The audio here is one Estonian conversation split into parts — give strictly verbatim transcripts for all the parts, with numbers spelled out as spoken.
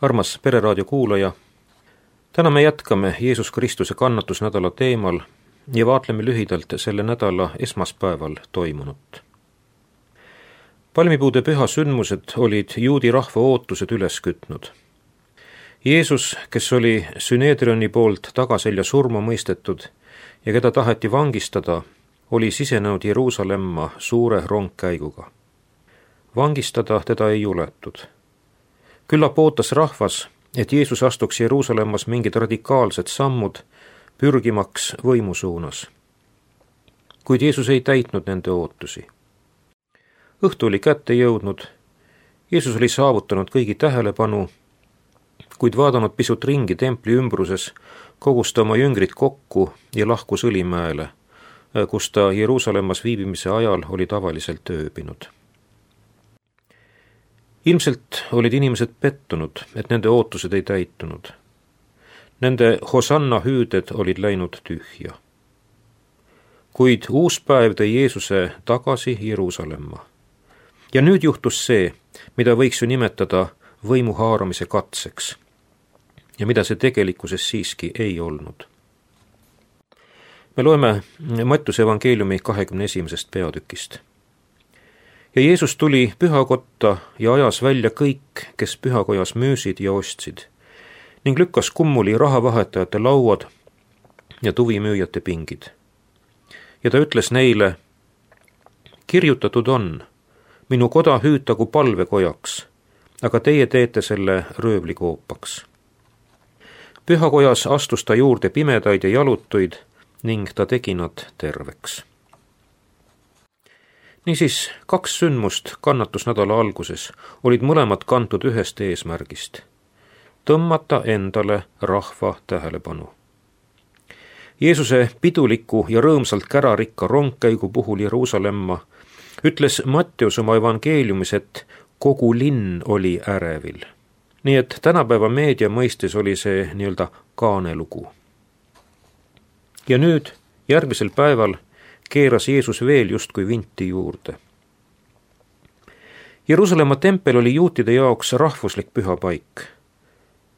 Armas Pereraadio kuulaja, täna me jätkame Jeesus Kristuse kannatusnädala teemal ja vaatleme lühidalt selle nädala esmaspäeval toimunut. Palmipuude püha sündmused olid juudi rahva ootused üles kütnud. Jeesus, kes oli Süneedrioni poolt tagaselja surma mõistetud ja keda taheti vangistada, oli sisenenud Jeruusalemma suure rongkäiguga. Vangistada teda ei juletud. Küllap ootas rahvas, et Jeesus astuks Jeruusalemmas mingid radikaalsed sammud, pürgimaks võimu suunas. Kuid Jeesus ei täitnud nende ootusi. Õhtu oli kätte jõudnud, Jeesus oli saavutanud kõigi tähelepanu, kuid vaadanud pisut ringi templi ümbruses, kogus ta oma jüngrid kokku ja lahkus Õlimäele, kus ta Jeruusalemmas viibimise ajal oli tavaliselt ööbinud. Ilmselt olid inimesed pettunud, et nende ootused ei täitunud. Nende hosanna hüüded olid läinud tühja. Kuid uus päev tõi Jeesuse tagasi Jeruusalemma. Ja nüüd juhtus see, mida võiks ju nimetada võimu haaramise katseks ja mida see tegelikkuses siiski ei olnud. Me loeme Mattuse evangeeliumi kahekümne esimesest peatükist. Ja Jeesus tuli pühakotta ja ajas välja kõik, kes pühakojas müüsid ja ostsid, ning lükkas kummuli rahavahetajate lauad ja tuvimüüjate pingid. Ja ta ütles neile, kirjutatud on, minu koda hüütagu palvekojaks, aga teie teete selle röövlikoopaks. Pühakojas astus ta juurde pimedaid ja jalutuid ning ta tegi nad terveks. Niisiis, kaks sündmust kannatusnädala alguses olid mõlemad kantud ühest eesmärgist – tõmmata endale rahva tähelepanu. Jeesuse piduliku ja rõõmsalt kärarikka rongkäigu puhul Jeruusalemma ütles Matteus oma evangeeliumis, et kogu linn oli ärevil. Nii et tänapäeva meedia mõistes oli see nii-öelda kaanelugu. Ja nüüd, järgmisel päeval, keeras Jeesus veel justkui vinti juurde. Jeruusalemma tempel oli juutide jaoks rahvuslik püha paik.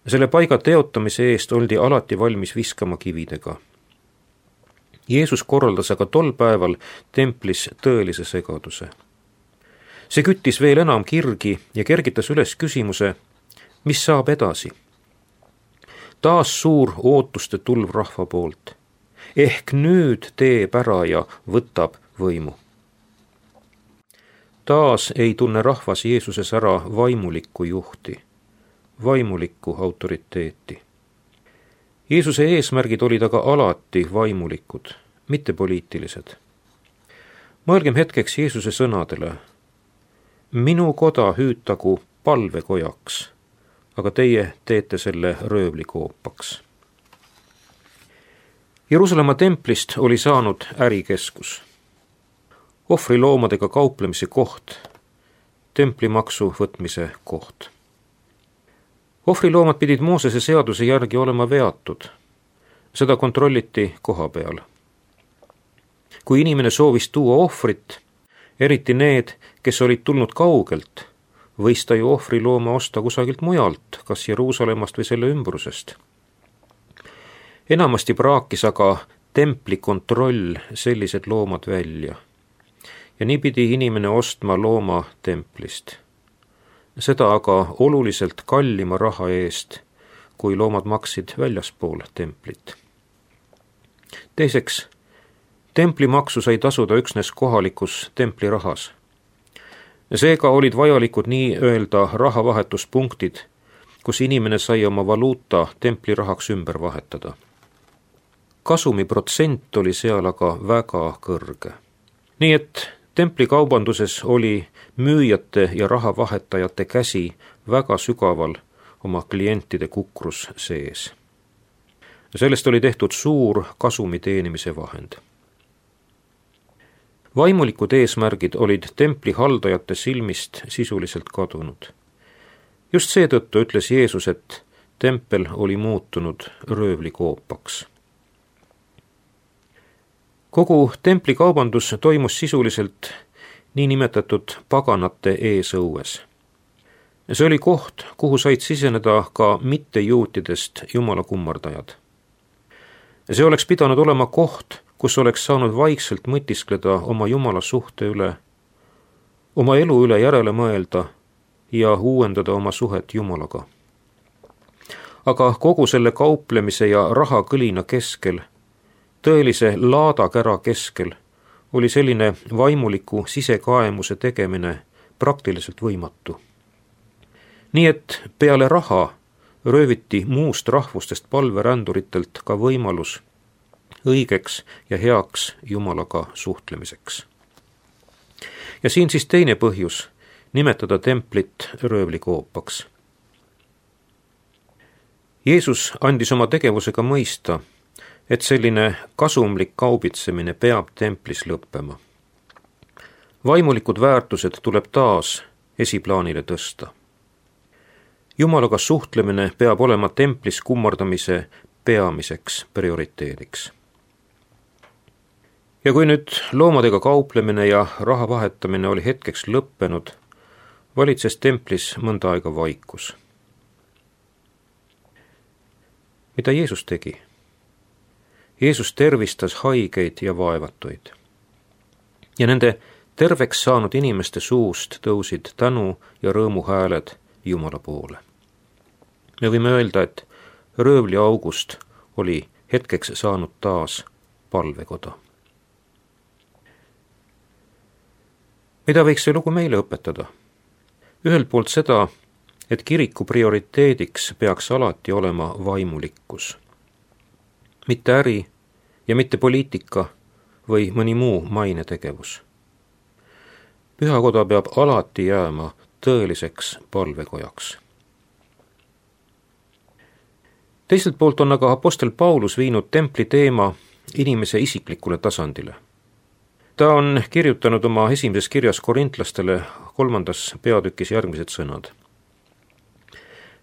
Selle paiga teotamise eest oldi alati valmis viskama kividega. Jeesus korraldas aga tol päeval templis tõelise segaduse. See küttis veel enam kirgi ja kergitas üles küsimuse, mis saab edasi. Taas suur ootuste tulv rahva poolt. Ehk nüüd teeb ära ja võtab võimu. Taas ei tunne rahvas Jeesuses ära vaimulikku juhti, vaimulikku autoriteeti. Jeesuse eesmärgid olid aga alati vaimulikud, mitte poliitilised. Mõelgem hetkeks Jeesuse sõnadele. Minu koda hüütagu palvekojaks, aga teie teete selle röövlikoopaks. Jeruusalemma templist oli saanud ärikeskus. Ohvriloomadega kauplemise koht, templimaksu võtmise koht. Ohvriloomad pidid Moosese seaduse järgi olema veatud. Seda kontrolliti koha peal. Kui inimene soovis tuua ohvrit, eriti need, kes olid tulnud kaugelt, võis ta ju ohvrilooma osta kusagilt mujalt, kas Jeruusalemmast või selle ümbrusest. Enamasti praakis aga templi kontroll sellised loomad välja. Ja nii pidi inimene ostma looma templist. Seda aga oluliselt kallima raha eest, kui loomad maksid väljaspool templit. Teiseks, templimaksu sai tasuda üksnes kohalikus templirahas. Seega olid vajalikud nii öelda rahavahetuspunktid, kus inimene sai oma valuuta templirahaks ümber vahetada. Kasumi protsent oli seal aga väga kõrge. Nii et templikaubanduses oli müüjate ja rahavahetajate käsi väga sügaval oma klientide kukrus sees. Sellest oli tehtud suur kasumi teenimise vahend. Vaimulikud eesmärgid olid templi haldajate silmist sisuliselt kadunud. Just seetõttu ütles Jeesus, et tempel oli muutunud röövlikoopaks. Kogu templikaubandus toimus sisuliselt niinimetatud paganate eesõues. see oli koht, kuhu said siseneda ka mittejuutidest jumala kummardajad. See oleks pidanud olema koht, kus oleks saanud vaikselt mõtiskleda oma jumala suhte üle, oma elu üle järele mõelda ja uuendada oma suhet Jumalaga. Aga kogu selle kauplemise ja rahakõlina keskel, tõelise laadakära keskel, oli selline vaimuliku sisekaemuse tegemine praktiliselt võimatu. Nii et peale raha rööviti muust rahvustest palveränduritelt ka võimalus õigeks ja heaks Jumalaga suhtlemiseks. Ja siin siis teine põhjus nimetada templit röövlikoopaks. Jeesus andis oma tegevusega mõista, et selline kasumlik kaubitsemine peab templis lõppema. Vaimulikud väärtused tuleb taas esiplaanile tõsta. Jumalaga suhtlemine peab olema templis kummardamise peamiseks prioriteediks. Ja kui nüüd loomadega kauplemine ja raha vahetamine oli hetkeks lõppenud, valitses templis mõnda aega vaikus. Mida Jeesus tegi? Jeesus tervistas haigeid ja vaevatuid. Ja nende terveks saanud inimeste suust tõusid tänu ja rõõmu hääled Jumala poole. Me võime öelda, et röövli august oli hetkeks saanud taas palvekoda. Mida võiks see lugu meile õpetada? Ühelt poolt seda, et kiriku prioriteediks peaks alati olema vaimulikkus. Mitte äri ja mitte poliitika või mõni muu mainetegevus. Pühakoda peab alati jääma tõeliseks palvekojaks. Teiselt poolt on aga apostel Paulus viinud templi teema inimese isiklikule tasandile. Ta on kirjutanud oma esimeses kirjas korintlastele kolmandas peatükis järgmised sõnad.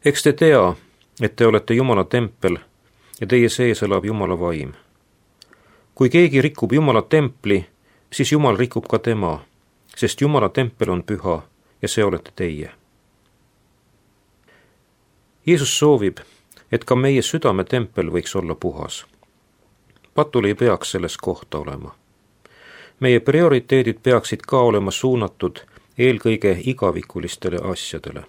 Eks te tea, et te olete Jumala tempel ja teie sees elab Jumala vaim. Kui keegi rikub Jumala templi, siis Jumal rikub ka tema, sest Jumala tempel on püha ja see olete teie. Jeesus soovib, et ka meie südametempel võiks olla puhas. Patul ei peaks selles kohta olema. Meie prioriteedid peaksid ka olema suunatud eelkõige igavikulistele asjadele.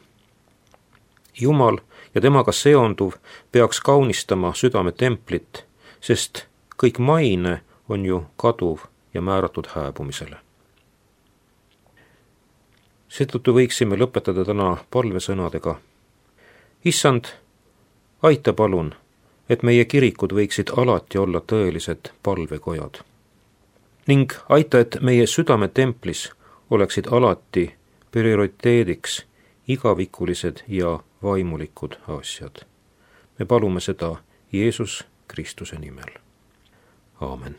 Jumal ja temaga seonduv peaks kaunistama südametemplit, sest kõik maine on ju kaduv ja määratud hääbumisele. Seetõttu võiksime lõpetada täna palvesõnadega. Issand, aita palun, et meie kirikud võiksid alati olla tõelised palvekojad. Ning aita, et meie südametemplis oleksid alati prioriteediks igavikulised ja vaimulikud asjad. Me palume seda Jeesus Kristuse nimel. Aamen.